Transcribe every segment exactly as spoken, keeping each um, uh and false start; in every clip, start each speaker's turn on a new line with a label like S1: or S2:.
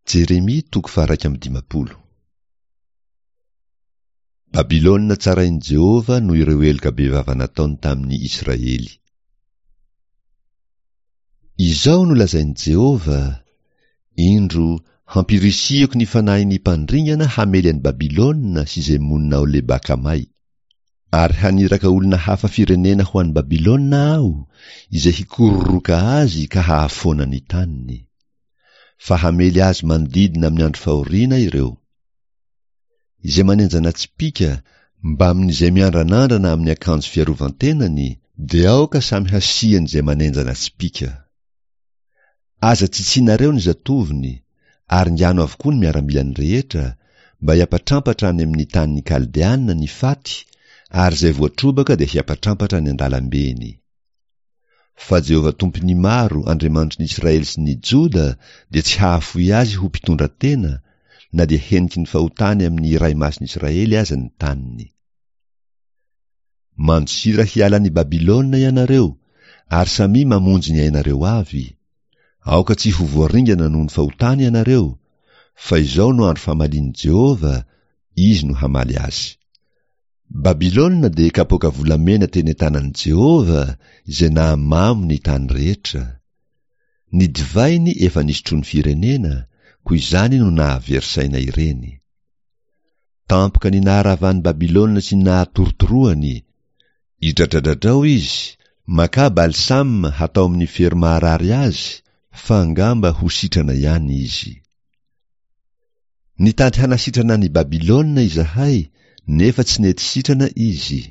S1: Jeremia toko faha-iraika amby dimampolo. Babylona tsarain'i Jehovah noho ireo heloka bevava nataony tamin'ny Israely. Izao no lazain'i Jehovah, Indro, hampirisihiko ny fanahin'ny mpandringana hamely an'i Babylona sy izay monina ao Leba-Kamay. Ary haniraka olona hafa firenena ho any Babylona Aho, izay hikororoka azy ka hahafoana ny taniny. Fa hamely azy manodidina amin'ny andro fahoriana ireo. Izay manenjana tsipìka, mbamin'izay miandranandrana amin'ny akanjo fiarovan-tenany, dia aoka samy hasian'izay manenjana tsipìka. Aza tsitsinareo ny zatovony, ary ngano avokoa ny miaramilany rehetra, mba hiampatrampatra any amin'ny tanin'ny Kaldeana ny faty, ary izay voatrobaka dia hiampatrampatra any an-dalambeny. Fa Jehovah Tompon'ny maro, Andriamanitry ny Israely sy ny Joda, dia tsy hahafoy azy ho mpitondra tena, na dia heniky ny fahotany amin'ny Iray Masin'ny Israely aza ny taniny. Mandosira hiala an'i Babylona ianareo, ary samia mamonjy ny ainareo avy. Aoka tsy ho voaringana noho ny fahotany ianareo, fa izao no andro famalian'i Jehovah, Izy no hamaly azy. Babylona dia kapoaka volamena teny an-tanan'i Jehovah izay nahamamo ny tany rehetra. Ny divainy efa nisotroan'ny firenena, koa izany no nahavery saina ireny. Tampoka ny naharavan'i Babylona sy ny nahatorotoroany. Idradradradrao izy, makà balsam hatao amin'ny fery maharary azy, fa angamba ho sitrana ihany izy. Nitady hanasitrana an'i Babylona izahay, nefa tsy nety sitrana izy.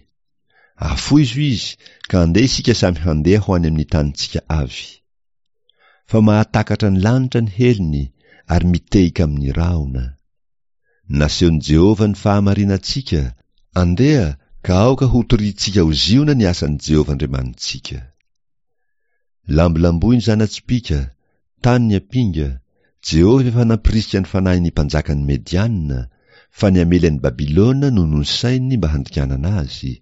S1: Afoizo izy, ka andeha isika samy handeha ho any amin'ny tanintsika avy. Fa mahatakatra ny lanitra ny helony, ary mitehika amin'ny rahona. Nasehon'i Jehovah ny fahamarinantsika, andeha ka aoka hotorintsika ho Ziona ny asan'i Jehovah Andriamanitsika. Lambolamboy ny zana-tsipìka, tany ny ampinga, Jehovah efa nampirisika ny fanahin'ny mpanjakan'ny Mediana, fa ny hamely an'i Babylona no nosaininy mba handinganana azy,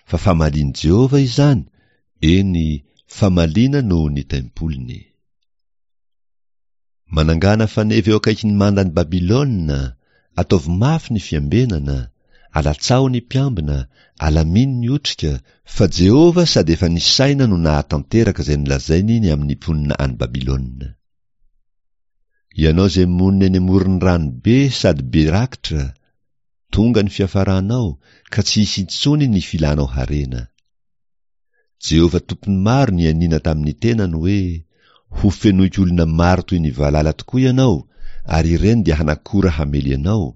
S1: fa famalian'i Jehovah izany, eny, famaliana noho ny tempoliny. Manangàna faneva eo akaikin'ny mandan'i Babylona, ataovy mafy ny fiambenana, alatsaho ny mpiambina, alamino ny otrika, fa Jehovah sady efa nisaina no nahatanteraka izay nolazainy ny amin'ny mponina any Babylona. Ianao izay monina eny amoron'ny rano be sady be rakitra, tonga ny fiafaranao, ka tsy hisy intsony ny filanao harena. Jehovah Tompon'ny maro nianiana tamin'ny tenany hoe, Ho fenoiko olona maro toy ny valala tokoa ianao, ary ireny dia hanakora hamely anao,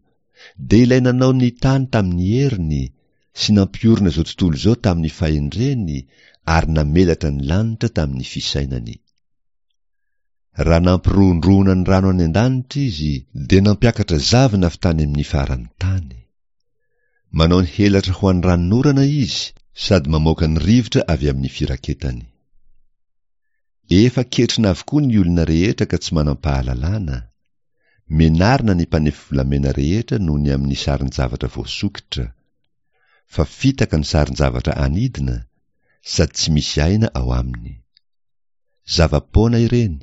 S1: dia ilay nanao ny tany tamin'ny heriny, sy nampiorina izao tontolo izao tamin'ny fahendreny, ary namelatra ny lanitra tamin'ny fisainany. Raha nampirohondrohona ny rano any an-danitra izy, dia nampiakatra zavona avy tany amin'ny faran'ny tany. Manao ny helatra ho an'ny ranonorana izy, sady mamoaka ny rivotra avy amin'ny firaketany. Efa ketrina avokoa ny olona rehetra ka tsy manam-pahalalana. Menarina ny mpanefy volamena rehetra noho ny amin'ny sarin-javatra voasokitra. Fa fitaka ny sarin-javatra anidina, sady tsy misy aina ao aminy. Zava-poana ireny,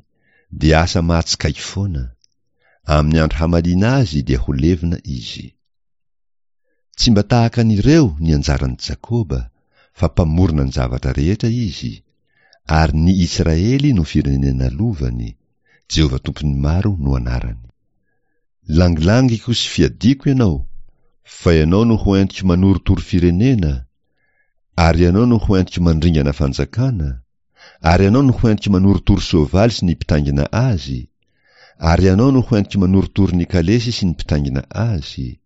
S1: dia asa mahatsikaiky foana. Amin'ny andro hamaliana azy dia ho levona izy. Tsy mba tahaka an'ireo ny anjaran'i Jakoba, fa mpamorona ny zavatra rehetra izy, ary ny Israely no firenena lovany, Jehovah Tompon'ny maro no anarany. Langilangiko sy fiadiako ianao, fa ianao no ho entiko manorotoro firenena, ary ianao no ho entiko mandringana fanjakana, ary ianao no ho entiko manorotoro soavaly sy ny mpitaingina azy, ary ianao no ho entiko manorotoro ny kalesy sy ny mpitaingina azy,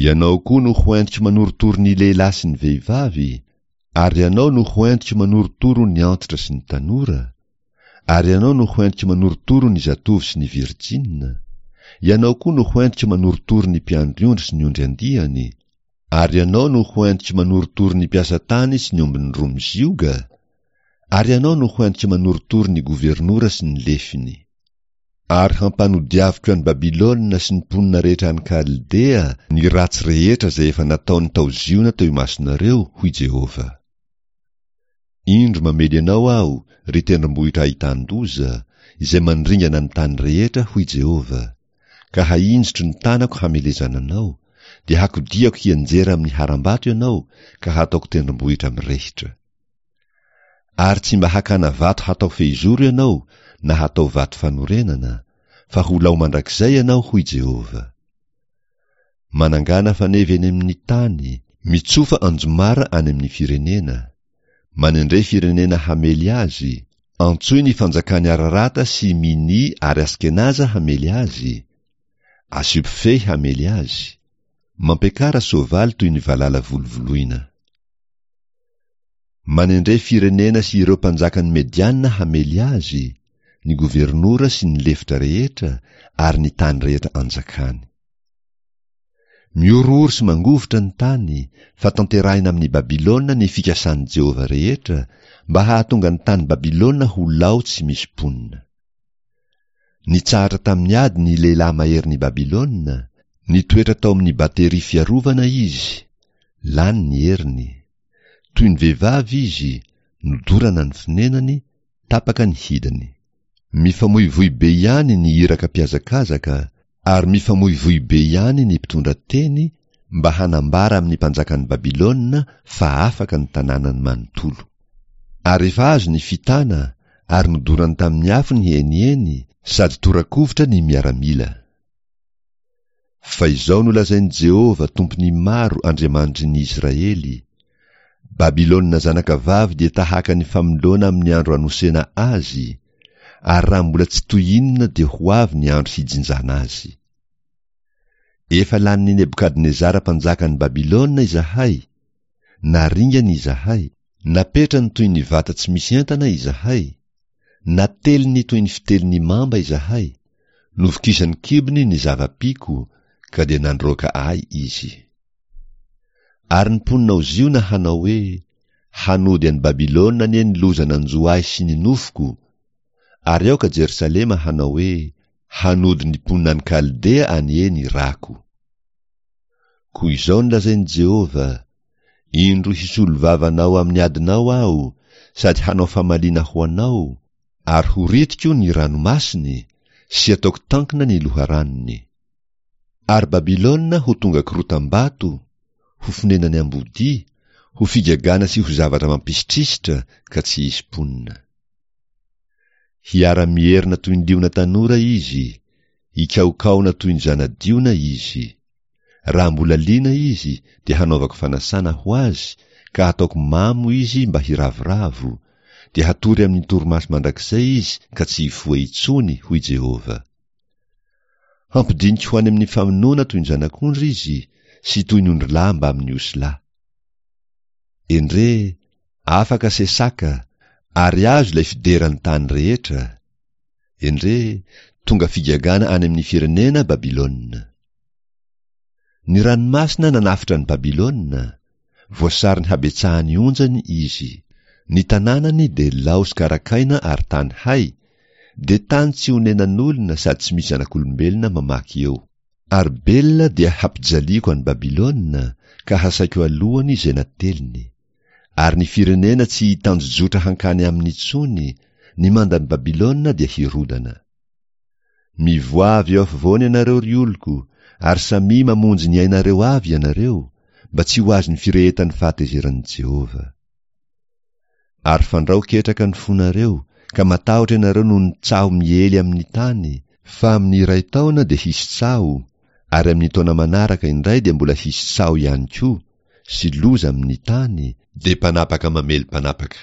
S1: ianao koa no ho entiko manorotoro ny lehilahy sy ny vehivavy, ary ianao no ho entiko manorotoro ny antitra sy ny tanora, ary ianao no ho entiko manorotoro ny zatovo sy ny virjina, ianao koa no ho entiko manorotoro ny mpiandry ondry sy ny ondry andiany, ary ianao no ho entiko manorotoro ny mpiasa tany sy ny ombiny roa mizioga, ary ianao no ho entiko manorotoro ny governora sy ny lefiny. Ary hampanodiaviko an'i Babylona sy ny mponina rehetra any Kaldea ny ratsy rehetra izay efa nataony tao Ziona teo imasonareo, hoy Jehovah. Indro mamely anao Aho, ry tendrombohitra ahitan-doza, izay mandringana ny tany rehetra, hoy Jehovah, ka hahinjitro ny tanako hamelezana anao, dia hakodiako hianjera amin'ny harambato ianao, ka hataoko tendrombohitra mirehitra. Ary tsy mba hakana vato hatao fehizoro ianao, na hatao vato fanorenana, fa ho lao mandrakizay ianao, hoy Jehovah. Manangàna faneva eny amin'ny tany, mitsofa anjomara any amin'ny firenena. Manendre firenena hamely azy, antsoy ny fanjakan'i Ararata sy Mini ary Askenaza hamely azy, asio mpifehy hamely azy. Mampiakara soavaly toy ny valala volovoloina. Manendre firenena sy ireo mpanjakan'ny Mediana hamely azy, ny governora sy ny lefitra rehetra ary ny tany rehetra anjakany. Mihorohoro sy mangovitra ny tany, fa tanterahina amin'i Babylona ny fikasan'i Jehovah rehetra mba hahatonga ny tany Babylona ho lao tsy misy mponina. Nitsahatra tamin'ny ady ny lehilahy maherin'i Babylona, nitoetra tao amin'ny bateria fiarovana izy, lany ny heriny. Toy ny vehivavy izy, nodorana ny fonenany, tapaka ny hidiny. Mifamoivoy be ihany ny iraka mpihazakazaka, ary mifamoivoy be ihany ny mpitondra teny mba hanambara amin'ny mpanjakan'i Babylona fa afaka ny tanànany manontolo. Ary efa azo ny fitana, ary nodorany tamin'ny afo ny heniheny, sady tora-kovitra ny miaramila. Fa izao no lazain'i Jehovah, Tompon'ny maro, Andriamanitry ny Israely, Babylona zanakavavy dia tahaka ny famoloana amin'ny andro anosena azy, ary raha mbola tsy toy inona dia ho avy ny andro hijinjana azy. Efa lanin'i Nebokadnezara mpanjakan'i Babylona izahay, naringany izahay, napetrany toy ny vata tsy misy entana izahay, nateliny toy ny fitelin'ny mamba izahay, novokisan'ny kibony ny zava-piko, ka dia nandroaka ahy izy. Ary ny mponina ao Ziona hanao hoe, Hanody an'i Babylona anie ny loza nanjo ahy sy ny nofoko, ary aoka Jerosalema hanao hoe, Hanody ny mponina any Kaldea anie ny rako. Koa izao no lazain'i Jehovah, Indro hisolo vava anao amin'ny adinao Aho, sady hanao famaliana ho anao, ary ho ritiko ny ranomasiny, sy ataoko tankina ny loharanony. Ary Babylona ho tonga korotam-bato, ho fonenan'ny ambodia, ho figagana sy ho zavatra mampisitrisitra, ka tsy hisy mponina. Hiara-mierona toy ny liona tanora izy, hikaokaona toy ny zana-diona izy. Raha mbola liana izy, dia hanaovako fanasana ho azy, ka hataoko mamo izy mba hiravoravo, dia hatory amin'ny torimaso mandrakizay izy ka tsy hifoha intsony, hoy Jehovah. Hampidiniko ho any amin'ny famonoana toy ny zanak'ondry izy, sy toy ny ondrilahy mbamin'ny osilahy. Endrey, afaka Sesaka, ary azo ilay fideran'ny tany rehetra. Endrey, tonga figagana any amin'ny firenena Babylona. Ny ranomasina nanafotra an'i Babylona, voasarin'ny habetsahan'ny onjany izy. Ny tanànany dia lao sy karakaina ary tany hay, dia tany tsy onenan'olona sady tsy misy zanak'olombelona mamaky eo. Ary Bela dia hampijaliako an'i Babylona, ka hasaiko alohany izay nateliny. Ary ny firenena tsy hitanjojotra hankany aminy intsony, ny mandan'i Babylona dia hirodana. Mivoaha avy eo afovoany ianareo, ry oloko, ary samia mamonjy ny ainareo avy ianareo, mba tsy ho azon'ny firehetan'ny fahatezeran'i Jehovah. Ary fandrao ketraka ny fonareo, ka matahotra ianareo noho ny tsaho miely amin'ny tany, fa amin'ny iray taona dia hisy tsaho, ary amin'ny taona manaraka indray dia mbola hisy tsaho ihany koa, sy loza amin'ny tany, dia mpanapaka mamely mpanapaka.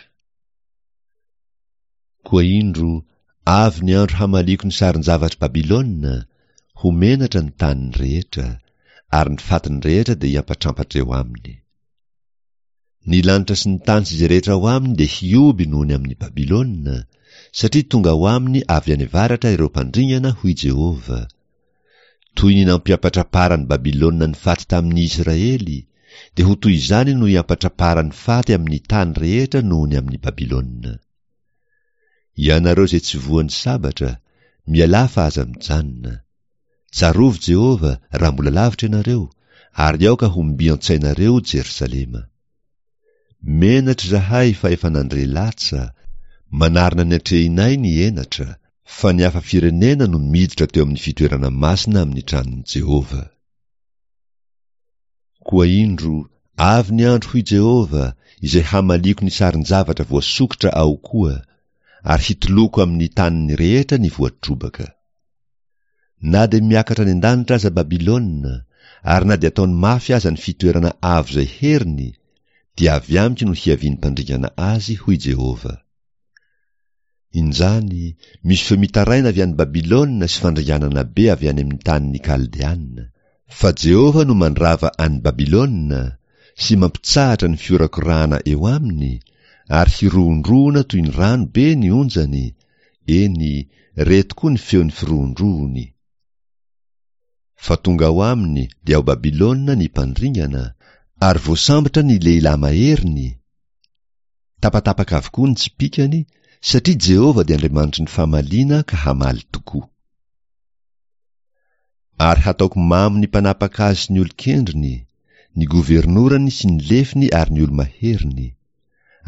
S1: Koa indro, avy ny andro hamaliako ny sarin-javatr'i Babylona, ho menatra ny taniny rehetra, ary ny fatiny rehetra dia hiampatrampatra eo aminy. Ny lanitra sy ny tany sy izay rehetra ao aminy dia hihoby noho ny amin'i Babylona, satria tonga ao aminy avy any avaratra ireo mpandringana, hoy Jehovah. Toy ny nampiampatramparan'i Babylona ny faty tamin'ny Israely, dia ho toy izany no hiampatramparan'ny faty amin'ny tany rehetra noho ny amin'i Babylona. Ianareo izay tsy voan'ny sabatra, mialà fa aza mijanona. Tsarovy Jehovah raha mbola lavitra ianareo, ary aoka ho mby an-tsainareo Jerosalema. Menatra izahay fa efa nandre latsa, manarona ny atrehinay ny henatra, Fa ny hafa firenena no miditra teo amin'ny fitoerana masina amin'ny tranon'i Jehovah. Koa indro, avy ny andro, hoy Jehovah, izay hamaliako ny sarin-javatra voasokitra ao koa, ary hitoloko amin'ny taniny rehetra ny voatrobaka. Na dia miakatra any an-danitra aza Babylona, ary na dia ataony mafy aza ny fitoerana avo izay heriny, dia avy amiko no hiavian'ny mpandringana azy, hoy Jehovah. Injany, misy feo mitaraina avy any Babylona sy fandringanana be avy any amin'ny tanin'ny Kaldeana. Fa Jehovah no mandrava an'i Babylona sy mampitsahatra ny fiorakorahana eo aminy, ary hirohondrohona toy ny rano be ny onjany, eny, re tokoa ny feon'ny firohondrohony. Fa tonga ao aminy, dia ao Babylona, ny mpandringana, ary voasambotra ny lehilahy maheriny. Tapatapaka avokoa ny tsipìkany, satria Jehovah dia Andriamanitry ny famaliana ka hamaly tokoa. Ary hataoko mamo ny mpanapaka azy sy ny olon-kendriny, ny governorany sy ny lefiny ary ny olo-maheriny.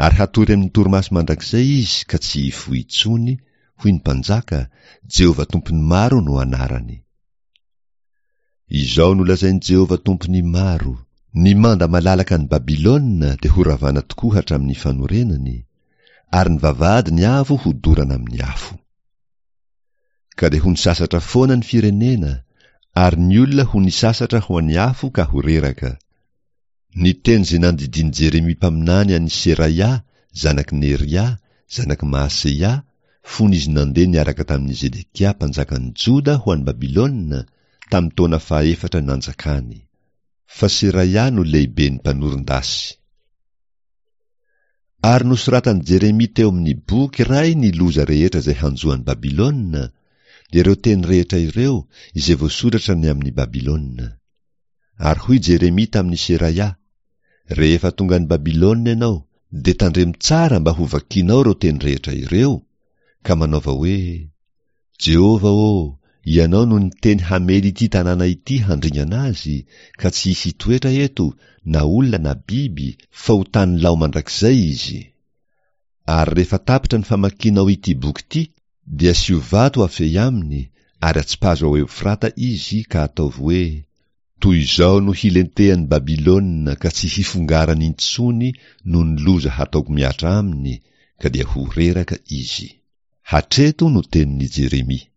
S1: Ary hatory amin'ny torimaso mandrakizay izy ka tsy hifoha intsony, hoy ny Mpanjaka, Jehovah Tompon'ny maro no anarany. Izao no lazain'i Jehovah Tompon'ny maro, Ny manda malalaka an'i Babylona dia horavana tokoa hatramin'ny fanorenany, ary ny vavahadiny avo hodorana amin'ny afo. Ka dia ho nisasatra foana ny firenena, ary ny olona ho nisasatra ho an'ny afo ka ho reraka. Ny teny izay nandidian'i Jeremia mpaminany an'i Seraia, zanak'i Neria, zanak'i Mahaseia, fony izy nandeha niaraka tamin'i Zedekia mpanjakan'i Joda ho any Babylona, tamin'ny taona fahefatra nanjakany. Fa Seraia no lehiben'ny mpanoron-dasy. Ary nosoratan'i Jeremia teo amin'ny boky iray ny loza rehetra izay hanjo an'i Babylona, dia ireo teny rehetra ireo izay voasoratra ny amin'i Babylona. Ary hoy Jeremia tamin'i Seraia, Rehefa tonga any Babylona ianao, dia tandremo tsara mba hovakinao ireo teny rehetra ireo, ka manaova hoe, Jehovah ô, Ianao no niteny hamely ity tanàna ity handringana azy, ka tsy hisy hitoetra eto, na olona na biby, fa ho tany lao mandrakizay izy. Ary rehefa tapitra ny famakianao ity boky ity, dia asio vato afehy aminy, ary atsipazo ao Eofrata izy, ka ataovy hoe, Toy izao no hilentehan'i Babylona ka tsy hifongarany intsony noho ny loza hataoko mihatra aminy, ka dia ho reraka izy. Hatreto no tenin'i Jeremia.